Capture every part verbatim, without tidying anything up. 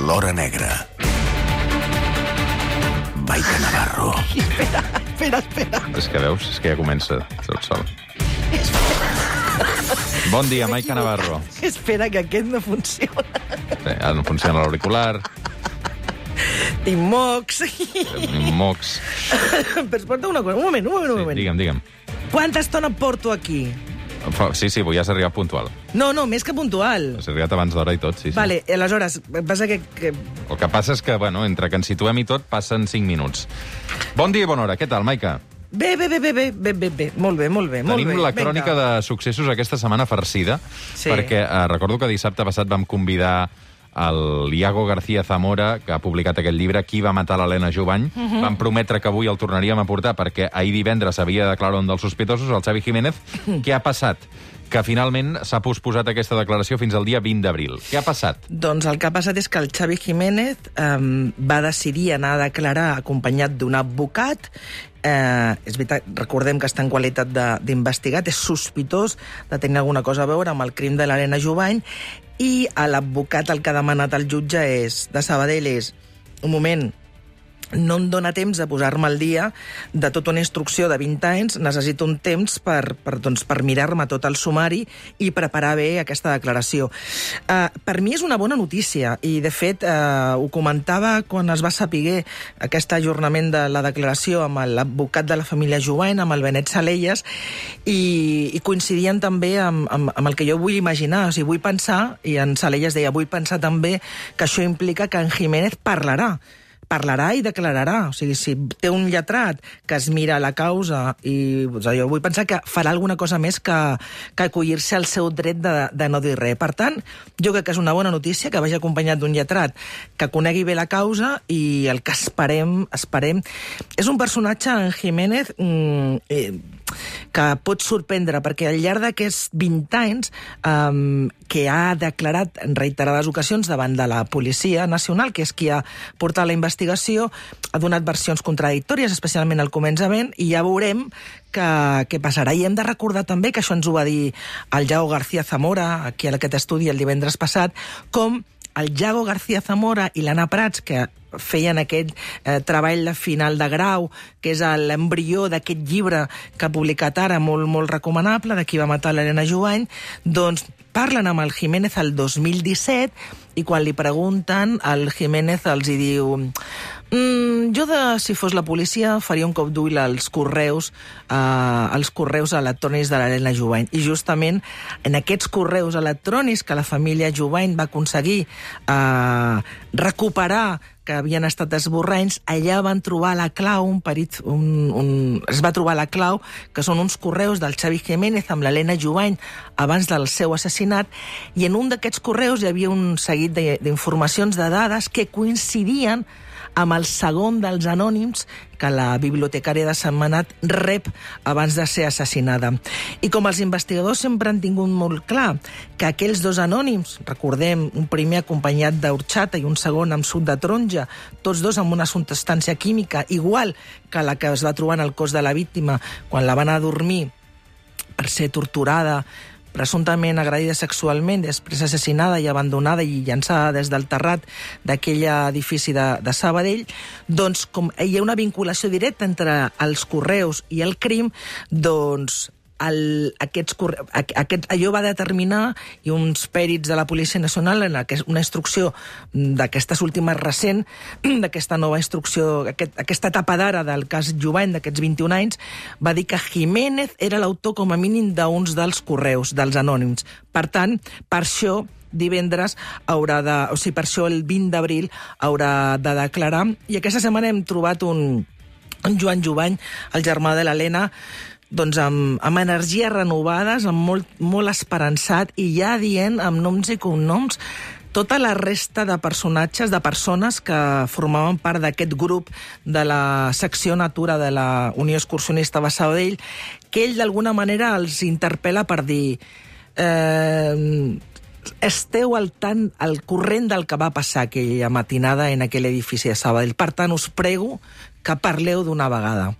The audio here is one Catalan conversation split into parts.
L'Hora Negra. Maica Navarro. Espera, espera, espera. És que veus, és que ja comença tot sol. Bon dia, Maica Navarro. Espera, que aquest no funciona. Bé, ara no funciona l'auricular. Tinc mocs. Tenim mocs. Però escolta una cosa, un moment, un moment, un Sí, moment. digue'm, digue'm. Quanta estona porto aquí? Fa- Sí, sí, avui has arribat puntual. No, no, més que puntual. Has arribat abans d'hora i tot, sí, sí. Vale, aleshores, passa que... que... El que passa és que, bueno, entre que ens situem i tot, passen cinc minuts. Bon dia i bona hora. Què tal, Maica? Bé, bé, bé, bé, bé, bé, bé, bé. Molt bé, molt bé, molt Tenim bé. la crònica Vinga. de successos aquesta setmana farcida, Sí. perquè eh, recordo que dissabte passat vam convidar el Iago García Zamora, que ha publicat aquest llibre, Qui va matar l'Helena Jubany. Uh -huh. Vam prometre que avui el tornaríem a portar perquè ahir divendres havia declarat un dels sospitosos, el Xavi Jiménez. Què ha passat? Que finalment s'ha posposat aquesta declaració fins al dia vint d'abril. Què ha passat? Doncs el que ha passat és que el Xavi Jiménez eh, va decidir anar a declarar acompanyat d'un advocat. Eh, és veritat, recordem que està en qualitat de- d'investigat, és sospitós de tenir alguna cosa a veure amb el crim de l'Helena Jubany, i l'advocat el que ha demanat el jutge és, de Sabadell és, un moment, no em dóna temps de posar-me al dia de tota una instrucció de vint anys, necessito un temps per, per, doncs, per mirar-me tot el sumari i preparar bé aquesta declaració. Uh, per mi és una bona notícia, i de fet uh, ho comentava quan es va saber aquest ajornament de la declaració amb l'advocat de la família Jubany, amb el Benet Salellas, i, i coincidien també amb, amb, amb el que jo vull imaginar. O sigui, vull pensar, i en Salellas deia, vull pensar també que això implica que en Jiménez parlarà, parlarà i declararà. O sigui, si té un lletrat que es mira la causa, i doncs, jo vull pensar que farà alguna cosa més que, que acollir-se al seu dret de, de no dir res. Per tant, jo crec que és una bona notícia que vagi acompanyat d'un lletrat que conegui bé la causa, i el que esperem, esperem... És un personatge, en Jiménez, mm, eh, que pot sorprendre, perquè al llarg d'aquests vint anys um, que ha declarat en reiterades ocasions davant de la Policia Nacional, que és qui ha portat la investigació, ha donat versions contradictòries, especialment al començament, i ja veurem què, què passarà. I hem de recordar també, que això ens ho va dir el Iago García Zamora, aquí a aquest estudi el divendres passat, com el Iago García Zamora i l'Anna Prats, que feien aquest eh, treball de final de grau, que és l'embrió d'aquest llibre que ha publicat ara, molt, molt recomanable, de Qui va matar l'Helena Jubany, doncs parlen amb el Jiménez el dos mil disset, i quan li pregunten, el Jiménez els hi diu mm, jo, de, si fos la policia, faria un cop d'ull als correus, eh, als correus electrònics de l'Helena Jubany. I justament en aquests correus electrònics que la família Jubany va aconseguir eh, recuperar, que havien estat esborranys, allà van trobar la clau, un perit, un, un, es va trobar la clau, que són uns correus del Xavi Jiménez amb l'Helena Jubany abans del seu assassinat, i en un d'aquests correus hi havia un seguit d'informacions, de dades, que coincidien amb el segon dels anònims que la bibliotecària de Sentmenat rep abans de ser assassinada. I com els investigadors sempre han tingut molt clar que aquells dos anònims, recordem, un primer acompanyat d'orxata i un segon amb suc de taronja, tots dos amb una substància química igual que la que es va trobar en el cos de la víctima quan la van a dormir per ser torturada, presumptament agredida sexualment, després assassinada i abandonada i llançada des del terrat d'aquell edifici de, de Sabadell, doncs com hi ha una vinculació directa entre els correus i el crim, doncs el, aquests, aquest, allò va determinar, i uns pèrits de la Policia Nacional, en aquest, una instrucció d'aquestes últimes recent, d'aquesta nova instrucció, aquest, aquesta etapa d'ara del cas Jubany, d'aquests vint-i-un anys, va dir que Jiménez era l'autor com a mínim d'uns dels correus, dels anònims. Per tant, per això divendres haurà de... O sigui, per això el vint d'abril haurà de declarar. I aquesta setmana hem trobat un, un Joan Jubany, el germà de l'Helena, doncs amb, amb energies renovades, amb molt, molt esperançat, i ja dient amb noms i cognoms tota la resta de personatges, de persones que formaven part d'aquest grup de la secció Natura de la Unió Excursionista de Sabadell, que ell d'alguna manera els interpel·la per dir eh, esteu al, tant, al corrent del que va passar aquella matinada en aquell edifici de Sabadell. Per tant, us prego que parleu d'una vegada.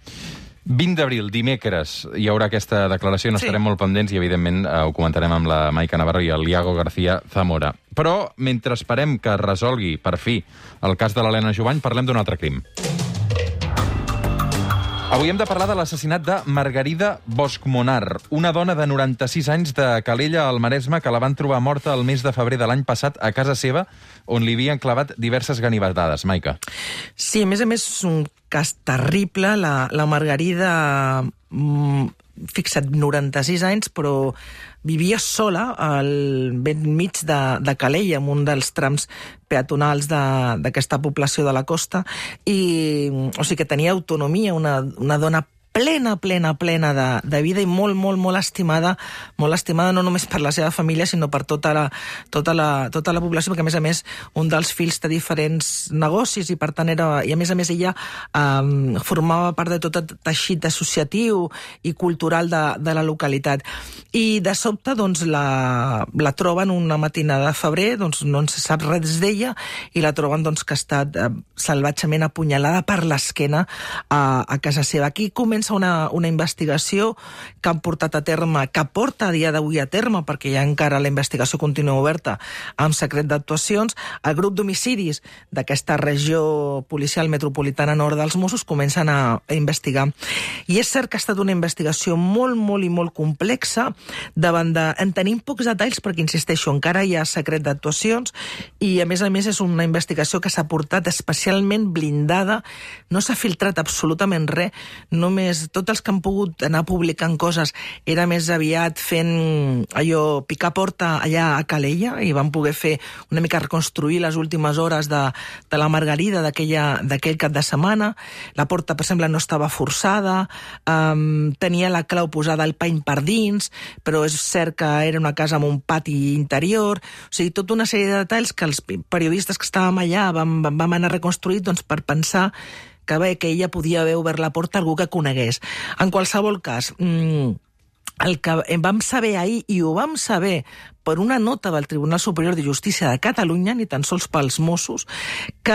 vint d'abril, dimecres, hi haurà aquesta declaració, no Sí. estarem molt pendents i, evidentment, eh, ho comentarem amb la Maica Navarro i el Iago García Zamora. Però, mentre esperem que es resolgui, per fi, el cas de l'Helena Jubany, parlem d'un altre crim. Avui hem de parlar de l'assassinat de Margarida Boschmonar, una dona de noranta-sis anys de Calella, al Maresme, que la van trobar morta el mes de febrer de l'any passat a casa seva, on li havien clavat diverses ganivetades. Maica. Sí, a més a més, és un cas terrible. La, la Margarida, mm, fixa't, noranta-sis anys, però vivia sola al ben mig de, de Calella, en un dels trams peatonals d'aquesta població de la costa, i o sigui que tenia autonomia, una, una dona plena, plena, plena de, de vida i molt, molt, molt estimada, molt estimada no només per la seva família, sinó per tota la, tota la, tota la població, perquè a més a més un dels fills té diferents negocis i per tant era, i a més a més ella um, formava part de tot el teixit associatiu i cultural de, de la localitat. I de sobte doncs la, la troben una matinada de febrer, doncs no se sap res d'ella i la troben doncs que ha estat eh, salvatgement apunyalada per l'esquena a, a casa seva. Aquí comença Una, una investigació que han portat a terme, que porta a dia d'avui a terme, perquè ja encara la investigació continua oberta amb secret d'actuacions. El grup d'homicidis d'aquesta regió policial metropolitana nord dels Mossos comencen a, a investigar. I és cert que ha estat una investigació molt, molt i molt complexa, davant de... En tenim pocs detalls, perquè, insisteixo, encara hi ha secret d'actuacions, i a més a més és una investigació que s'ha portat especialment blindada, no s'ha filtrat absolutament res, només tots els que han pogut anar publicant coses era més aviat fent allò, picar porta allà a Calella, i van poder fer una mica reconstruir les últimes hores de, de la Margarida d'aquell cap de setmana. La porta, per exemple, no estava forçada, um, tenia la clau posada al pany per dins, però és cert que era una casa amb un pati interior, o sigui, tota una sèrie de detalls que els periodistes que estàvem allà vam, vam anar reconstruït doncs, per pensar que bé, que ella podia haver obert la porta a algú que conegués. En qualsevol cas, mmm, el que vam saber ahir, i ho vam saber per una nota del Tribunal Superior de Justícia de Catalunya, ni tan sols pels Mossos, que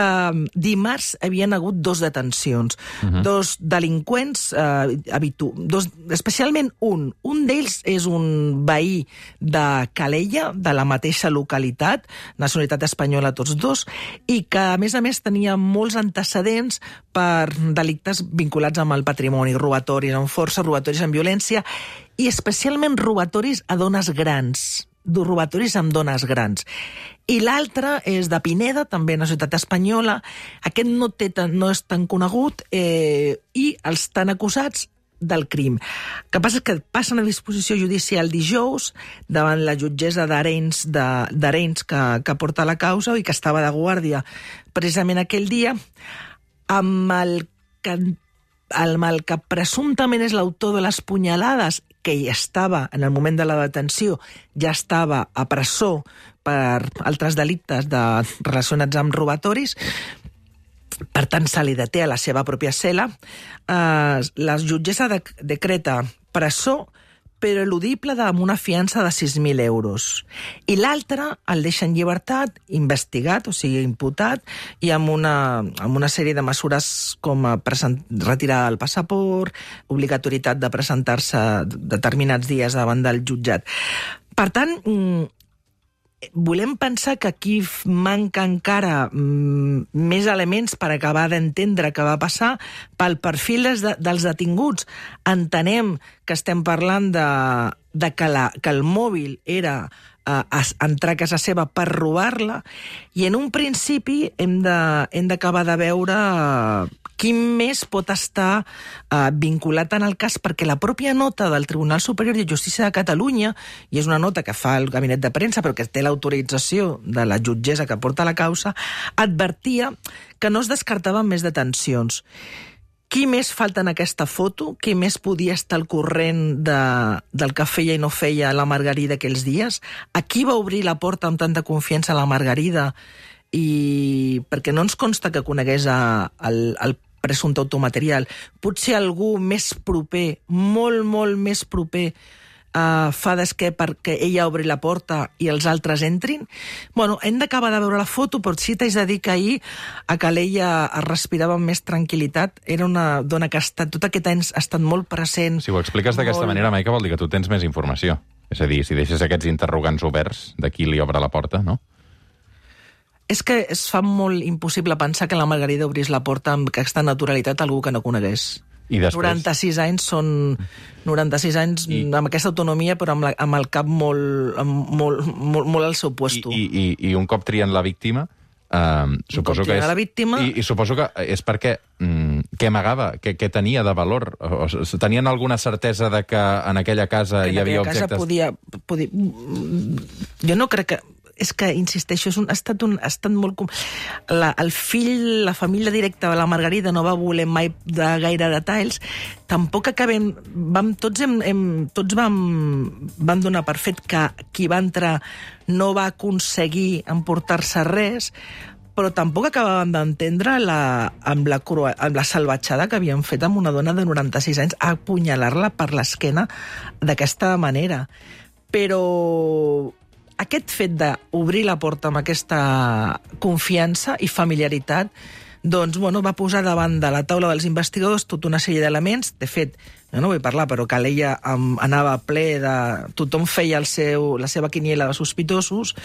dimarts havien hagut dos detencions, uh-huh. dos delinqüents, eh, habitu... dos, especialment un. Un d'ells és un veí de Calella, de la mateixa localitat, nacionalitat espanyola tots dos, i que, a més a més, tenia molts antecedents per delictes vinculats amb el patrimoni, robatoris amb força, robatoris amb violència, i especialment robatoris a dones grans, robatoris amb dones grans. I l'altre és de Pineda, també a la ciutat espanyola. Aquest no, té, no és tan conegut, eh, i els estan acusats del crim. El que passa és que passen a disposició judicial dijous davant la jutgessa d'Arenys d'Arenys que, que porta la causa i que estava de guàrdia precisament aquell dia, amb el que, amb el que presumptament és l'autor de les punyalades, que ja estava, en el moment de la detenció, ja estava a presó per altres delictes de, relacionats amb robatoris. Per tant, se li deté a la seva pròpia cel·la. Eh, la jutgessa de, decreta presó, però eludible amb una fiança de sis mil euros. I l'altre el deixa en llibertat, investigat, o sigui, imputat, i amb una, amb una sèrie de mesures com present, retirar el passaport, obligatorietat de presentar-se determinats dies davant del jutjat. Per tant, volem pensar que aquí manca encara mm, més elements per acabar d'entendre què va passar. Pel perfil dels, de, dels detinguts entenem que estem parlant de, de que, la, que el mòbil era eh, entrar a casa seva per robar-la, i en un principi hem d'acabar de, de veure eh, qui més pot estar eh, vinculat en el cas, perquè la pròpia nota del Tribunal Superior de Justícia de Catalunya, i és una nota que fa el gabinet de premsa però que té l'autorització de la jutgessa que porta la causa, advertia que no es descartaven més detencions. Qui més falta en aquesta foto? Qui més podia estar al corrent de, del que feia i no feia la Margarida aquells dies? A qui va obrir la porta amb tanta confiança a la Margarida? I perquè no ens consta que conegués a, el, el presumpte automaterial. Potser algú més proper, molt, molt més proper uh, fa d'esquer perquè ella obri la porta i els altres entrin. Bueno, hem d'acabar de veure la foto, però sí t'haig de dir que ahir a Calella es respirava amb més tranquil·litat. Era una dona que ha estat, tot aquest any ha estat molt present. Si ho expliques d'aquesta molt... manera, Maica, vol dir que tu tens més informació. És a dir, si deixes aquests interrogants oberts de qui li obre la porta, no? És que es fa molt impossible pensar que la Margarida obrís la porta amb aquesta naturalitat a algú que no conegués. I després... noranta-sis anys són... noranta-sis anys I... amb aquesta autonomia, però amb, la, amb el cap molt, amb, molt, molt, molt al seu puesto. I, i, I un cop trien la víctima, uh, suposo que és... la víctima... I, I suposo que és perquè... Mm, què amagava? Què, què tenia de valor? O, o, tenien alguna certesa de que en aquella casa en hi havia objectes... objectes... Podia, podia... Jo no crec que... És que, insisteixo, és un, ha, estat un, ha estat molt... La, el fill, la família directa de la Margarida no va voler mai de gaire detalls. Tampoc acabem... Vam, tots hem, hem, tots vam, vam donar per fet que qui va entrar no va aconseguir emportar-se res, però tampoc acabàvem d'entendre la, amb, la crua, amb la salvatjada que havien fet amb una dona de noranta-sis anys, a apunyalar-la per l'esquena d'aquesta manera. Però... aquest fet d'obrir la porta amb aquesta confiança i familiaritat, doncs, bueno, va posar davant de la taula dels investigadors tota una sèrie d'elements. De fet, jo no vull parlar, però Calella um, anava ple de... Tothom feia el seu, la seva quiniela de sospitosos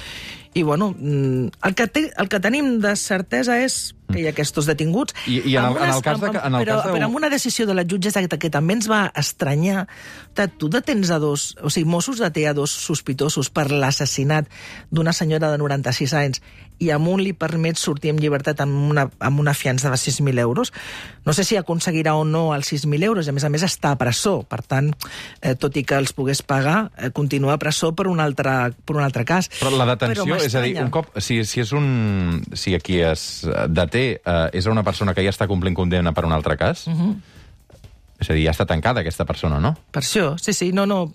i, bueno, el que, te, el que tenim de certesa és que hi ha aquests detinguts. I, i en, el, unes, en el cas de... En el però, cas de... però amb una decisió de la jutgessa que també ens va estranyar, tu detens a dos... O sigui, Mossos deté a dos sospitosos per l'assassinat d'una senyora de noranta-sis anys i amb un li permet sortir en llibertat amb una, amb una fiança de sis mil euros. No sé si aconseguirà o no els sis mil euros, i a més a més està a presó. Per tant, eh, tot i que els pogués pagar, eh, continua a presó per un altre, per un altre cas. Però la detenció, és a dir, un cop... Si, si és un... Si aquí es deté, eh, és una persona que ja està complint condemna per un altre cas... Uh-huh. És a dir, ja està tancada aquesta persona, no? Per això, sí, sí, no, no...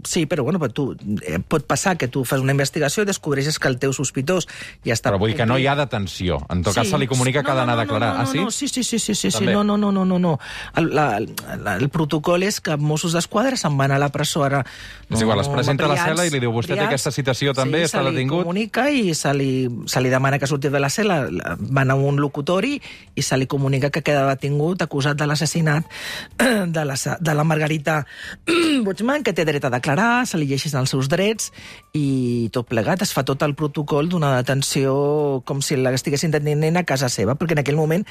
Sí, però, bueno, però tu, eh, pot passar que tu fas una investigació i descobreixes que el teu sospitós ja està... Però vull dir que no hi ha detenció. En tot sí. cas se li comunica que no, ha d'anar no, no, a declarar. No, no, ah, sí? No, sí, sí, sí, sí, sí, sí. No, no, no, no, no, no. El, la, la, el protocol és que Mossos d'Esquadra se'n van a la presó ara... No, és igual, es presenta briats, a la cel·la i li diu, vostè briats, té aquesta citació també, sí, està detingut? Sí, se li comunica i se li, se li demana que surti de la cel·la, van a un locutori i se li comunica que queda detingut acusat de l'assassinat de la, de la Margarita Bochman, que té dret a declarar, se li llegeixen els seus drets i tot plegat. Es fa tot el protocol d'una detenció com si l'estiguessin detenint a casa seva, perquè en aquell moment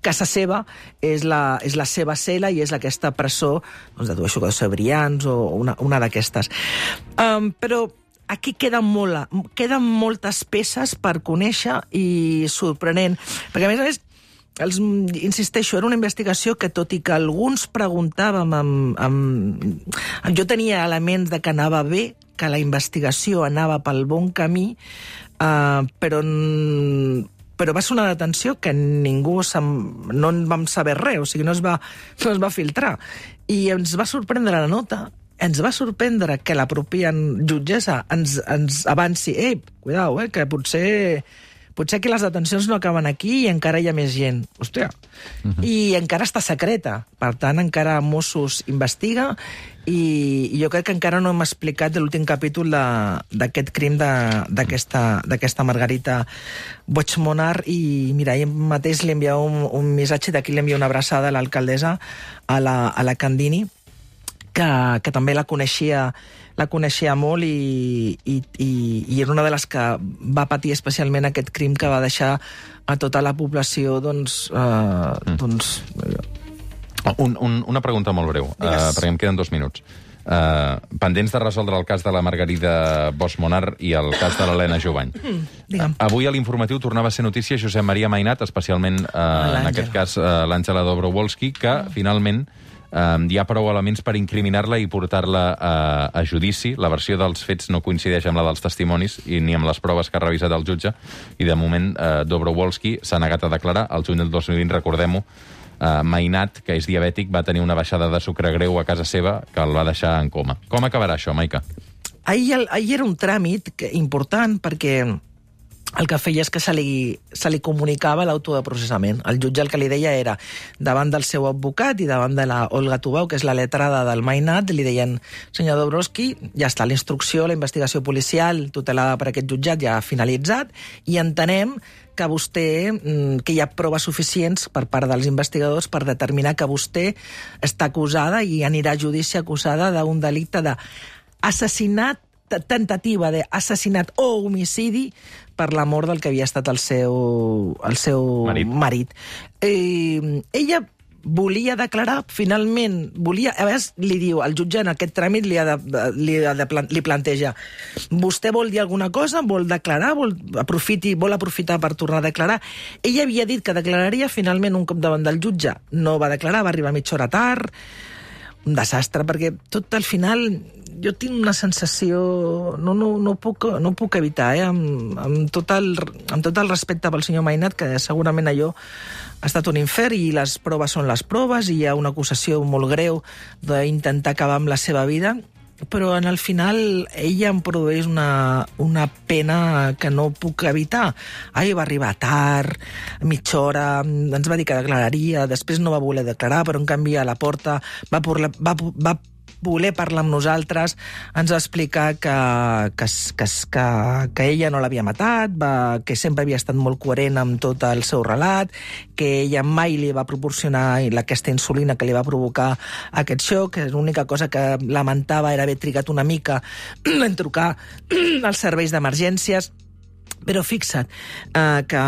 casa seva és la, és la seva cel·la i és aquesta presó doncs, de dues jugadors brillants o una, una d'aquestes. Um, però aquí queden, molt, queden moltes peces per conèixer i sorprenent, perquè a més a més Els, insisteixo, era una investigació que, tot i que alguns preguntàvem, amb, amb, jo tenia elements de que anava bé, que la investigació anava pel bon camí, uh, però, però va ser una detenció que ningú no en vam saber res, o sigui, no es va, no es va filtrar. I ens va sorprendre la nota, ens va sorprendre que la pròpia jutgessa ens, ens avanci, ei, cuidao, eh, que potser... Potser que les detencions no acaben aquí i encara hi ha més gent. Hòstia. Uh-huh. I encara està secreta. Per tant, encara Mossos investiga i, i jo crec que encara no hem explicat l'últim capítol d'aquest crim d'aquesta Margarita Bochmonar i mira, ahir mateix li enviava un, un missatge, d'aquí li envia una abraçada a l'alcaldessa, a la, a la Candini, que, que també la coneixia la coneixia molt i, i, i, i era una de les que va patir especialment aquest crim que va deixar a tota la població, doncs... Eh, mm. doncs un, un, una pregunta molt breu, uh, perquè em queden dos minuts. Uh, pendents de resoldre el cas de la Margarida Bochmonar i el cas de l'Helena Jovany. Mm, uh, avui a l'informatiu tornava a ser notícia Josep Maria Mainat, especialment, uh, en aquest cas, uh, l'Àngela Dobrowolski, que mm. finalment Um, hi ha prou elements per incriminar-la i portar-la a, a judici. La versió dels fets no coincideix amb la dels testimonis i ni amb les proves que ha revisat el jutge i de moment uh, Dobrowolski s'ha negat a declarar. El juny del dos mil vint, recordem-ho, uh, Mainat, que és diabètic, va tenir una baixada de sucre greu a casa seva que el va deixar en coma. Com acabarà això, Maica? Ahir, ahir era un tràmit important perquè el que feia és que se li, se li comunicava l'auto de processament. El jutge el que li deia era, davant del seu advocat i davant de la Olga Tubau, que és la letrada del Mainat, li deien, senyor Dabrowski, ja està, la instrucció, la investigació policial tutelada per aquest jutjat ja ha finalitzat i entenem que vostè, que hi ha proves suficients per part dels investigadors per determinar que vostè està acusada i anirà a judici acusada d'un delicte d'assassinat, tentativa d'assassinat o homicidi per la mort del que havia estat el seu, el seu marit. marit. Eh, ella volia declarar, finalment, volia, a vegades li diu, el jutge en aquest tràmit li, ha de, li, ha de, li planteja, vostè vol dir alguna cosa, vol declarar, vol, aprofiti, vol aprofitar per tornar a declarar. Ella havia dit que declararia, finalment un cop davant del jutge no va declarar, va arribar mitja hora tard, un desastre, perquè tot al final jo tinc una sensació, no, no, no, puc, no puc evitar, eh? amb, amb, tot el, amb tot el respecte pel senyor Mainat, que segurament allò ha estat un infern i les proves són les proves i hi ha una acusació molt greu d'intentar acabar amb la seva vida, però en el final ella em produeix una, una pena que no puc evitar. Ai, va arribar tard, mitja hora, ens va dir que declararia, després no va voler declarar, però en canvi a la porta va, va, va, va voler parlar amb nosaltres, ens va explicar que, que, que, que, que ella no l'havia matat, va, que sempre havia estat molt coherent amb tot el seu relat, que ella mai li va proporcionar aquesta insulina que li va provocar aquest xoc, que l'única cosa que lamentava era haver trigat una mica en trucar als serveis d'emergències. Però fixa't eh, que,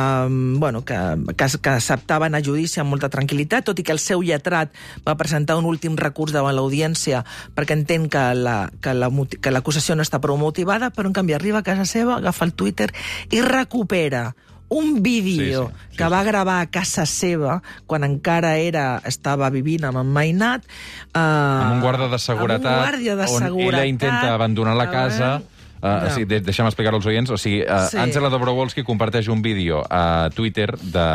bueno, que, que, que acceptaven a judici amb molta tranquil·litat, tot i que el seu lletrat va presentar un últim recurs davant l'audiència perquè entén que la, que la, que l'acusació no està prou motivada, però en canvi arriba a casa seva, agafa el Twitter i recupera un vídeo sí, sí, sí, que va gravar a casa seva quan encara era, estava vivint amb en Mainat. Eh, amb un guarda de seguretat, amb un guàrdia de on seguretat, ella intenta abandonar la casa. Uh, no. o sigui, de, deixa'm explicar als oients. O sigui, uh, sí. Àngela Dobrowolski comparteix un vídeo a Twitter de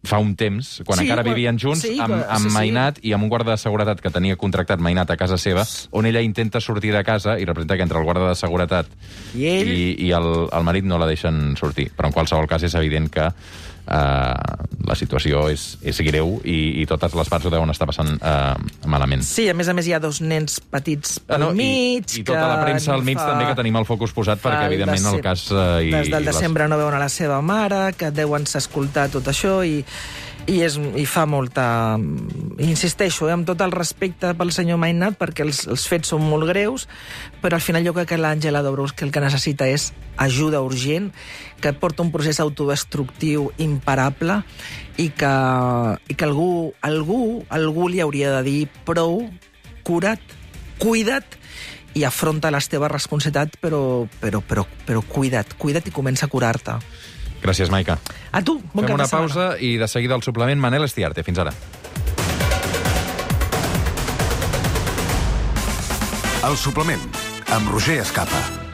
fa un temps, quan sí, encara quan... vivien junts, sí, amb, amb sí, Mainat sí. i amb un guarda de seguretat que tenia contractat Mainat a casa seva, on ella intenta sortir de casa i representa que entre el guarda de seguretat i, ell... i, i el, el marit no la deixen sortir. Però en qualsevol cas és evident que Uh, la situació és, és greu i, i totes les parts ho deuen estar passant uh, malament. Sí, a més a més hi ha dos nens petits pel ah, no, mig. I, i tota la premsa al mig fa... també que tenim el focus posat perquè, evidentment, el cas... Uh, i, des del i desembre les... no veuen a la seva mare, que deuen escoltar tot això i... I, és, i fa molta... Insisteixo, eh, amb tot el respecte pel senyor Mainat, perquè els, els fets són molt greus, però al final jo crec que l'Àngela Dobrowolski el que necessita és ajuda urgent, que porta un procés autodestructiu imparable i que, i que algú, algú, algú li hauria de dir prou, cura't, cuida't i afronta les teves responsabilitats, però, però, però, però cuida't, cuida't i comença a curar-te. Gràcies, Maica. A tu, bon Fem cap una de setmana. pausa i de seguida el suplement Manel Estiarte. Fins ara. El suplement, amb Roger Escapa.